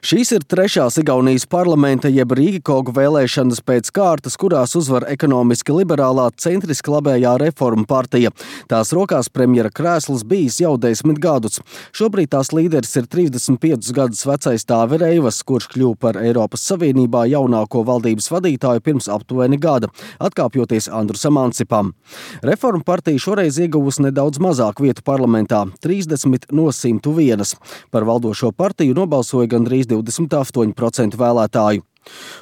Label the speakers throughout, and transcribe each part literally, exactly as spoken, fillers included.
Speaker 1: Šīs ir trešās Igaunijas parlamenta jeb Rīgikogu vēlēšanas pēc kārtas, kurās uzvar ekonomiski liberālā centriski labējā Reformu partija. Tās rokās premjera krēsls bijis jau desmit gadus. Šobrīd tās līderis ir trīsdesmit piecus gadus vecais Tāve Reivas, kurš kļuva par Eiropas Savienībā jaunāko valdības vadītāju pirms aptuveni gada, atkāpjoties Andrusam Ansipam. Reformu partija šoreiz ieguvusi nedaudz mazāk vietu parlamentā – trīsdesmit no simta vienas. Par valdošo partiju nobalsoja gandrīz divdesmit astoņi procenti vēlētāju.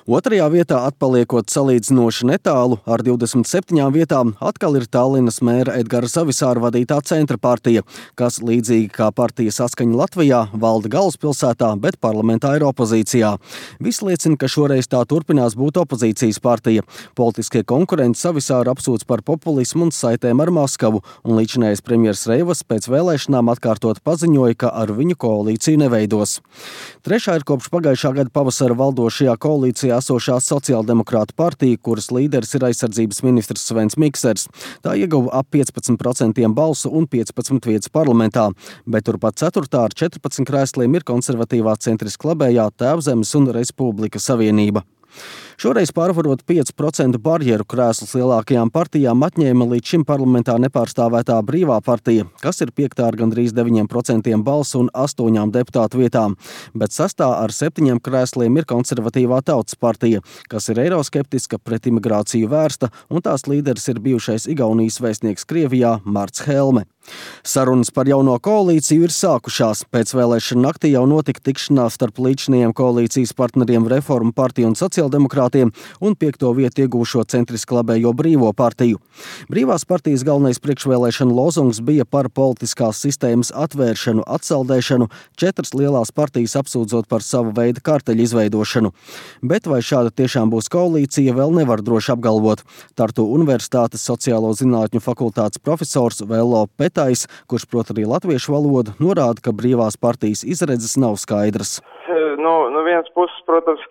Speaker 1: Otrajā vietā atpaliekot salīdzinoši netālu ar divdesmit septiņām vietām atkal ir Tallinas mēra Edgara Savisāra vadītā Centra partija, kas līdzīgi kā partija Saskaņa Latvijā valda galvaspilsētā, bet parlamentā ir opozīcijā. Viss liecina, ka šoreiz tā turpinās būt opozīcijas partija. Politiskie konkurenti Savisāru apsūdz par populismu un saitēm ar Maskavu, un līdzinājais premjers Reivas pēc vēlēšanām atkārtot paziņoja, ka ar viņu koalīciju neveidos. Trešā ir kopš pagājušā gada pavasara valdošajā koalīcijā koalīcijā esošā sociāldemokrātu partija, kuras līderis ir aizsardzības ministrs Svens Miksers. Tā ieguva ap piecpadsmit procentiem balsu un piecpadsmit vietas parlamentā, bet turpat ceturtā ar četrpadsmit krēsliem ir konservatīvā centriski labējā Tēvzemes un Respublika Savienība. Šoreiz pārvarot piecu procentu barjeru krēslus lielākajām partijām atņēma līdz šim parlamentā nepārstāvētā Brīvā partija, kas ir piektā ar gandrīz deviņiem procentiem balsu un astoņām deputātu vietām, bet sastā ar septiņiem krēsliem ir konservatīvā Tautas partija, kas ir eiroskeptiska, pret imigrāciju vērsta, un tās līderis ir bijušais Igaunijas vēstnieks Krievijā Marts Helme. Sarunas par jauno koalīciju ir sākušās. Pēc vēlēšana naktī jau notika tikšanās starp līdzinājiem koalīcijas partneriem Reformu partiju un sociāldemokrātiem un piekto vietu ieguvušo centriski labējo Brīvo partiju. Brīvās partijas galvenais priekšvēlēšana lozungs bija par politiskās sistēmas atvēršanu, atsaldēšanu, četras lielās partijas apsūdzot par savu veidu karteļu izveidošanu. Bet vai šāda tiešām būs koalīcija, vēl nevar droši apgalvot. Tartu Universitātes sociālo zinātņu fakultātes profesors Vello Pet kurš prot arī latviešu valodu, norāda, ka Brīvās partijas izredzes nav skaidras.
Speaker 2: No, no vienas puses, protams,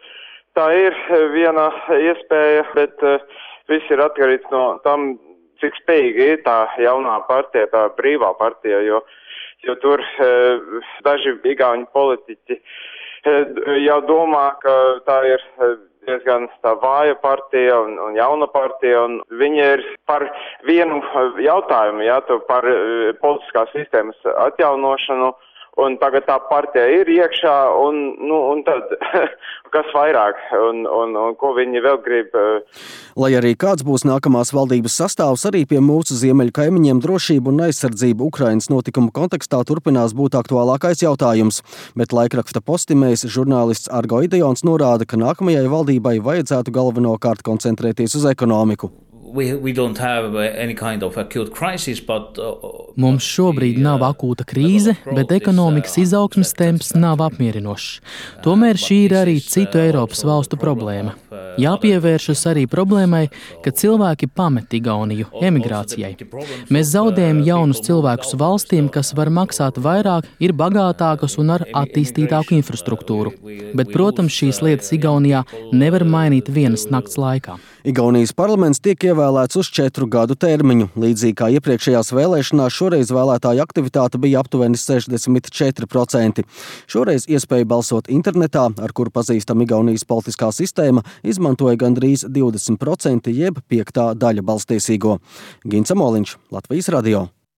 Speaker 2: tā ir viena iespēja, bet uh, viss ir atkarīgs no tam, cik spējīgi ir tā jaunā partija, tā Brīvā partija, jo, jo tur uh, daži igauņu politiķi uh, jau domā, ka tā ir uh, diezgan tā vāja partija un, un jauna partija, un viņi ir par vienu jautājumu, jā, par politiskās sistēmas atjaunošanu, un tagad tā partija ir iekšā, un, nu, un tad kas vairāk, un, un, un ko viņi vēl grib.
Speaker 1: Lai arī kāds būs nākamās valdības sastāvs, arī pie mūsu ziemeļu kaimiņiem drošība un aizsardzība Ukrainas notikumu kontekstā turpinās būt aktuālākais jautājums, bet laikraksta Postimējs žurnālists Argo Ideons norāda, ka nākamajai valdībai vajadzētu galvenokārt koncentrēties uz ekonomiku.
Speaker 3: We, we don't have any kind of acute crisis, but, uh,
Speaker 4: Mums šobrīd nav akūta krīze, bet ekonomikas izaugsmes temps nav apmierinošs. Tomēr šī ir arī citu Eiropas valstu problēma. Jāpievēršas arī problēmai, ka cilvēki pamet Igauniju emigrācijai. Mēs zaudējam jaunus cilvēkus valstīm, kas var maksāt vairāk, ir bagātākas un ar attīstītāku infrastruktūru. Bet, protams, šīs lietas Igaunijā nevar mainīt vienas nakts laikā.
Speaker 1: Igaunijas parlaments tiek ievēlēts uz četru gadu termiņu. Līdzīgi kā iepriekšējās vēlēšanās, šoreiz vēlētāju aktivitāte bija aptuveni sešdesmit četri procenti. Šoreiz iespēju balsot internetā, ar kuru pazīstama Igaunijas politiskā sistēma, izmantoja gandrīz divdesmit procenti jeb piektā daļa balstiesīgo. Gins Amoliņš, Latvijas radio.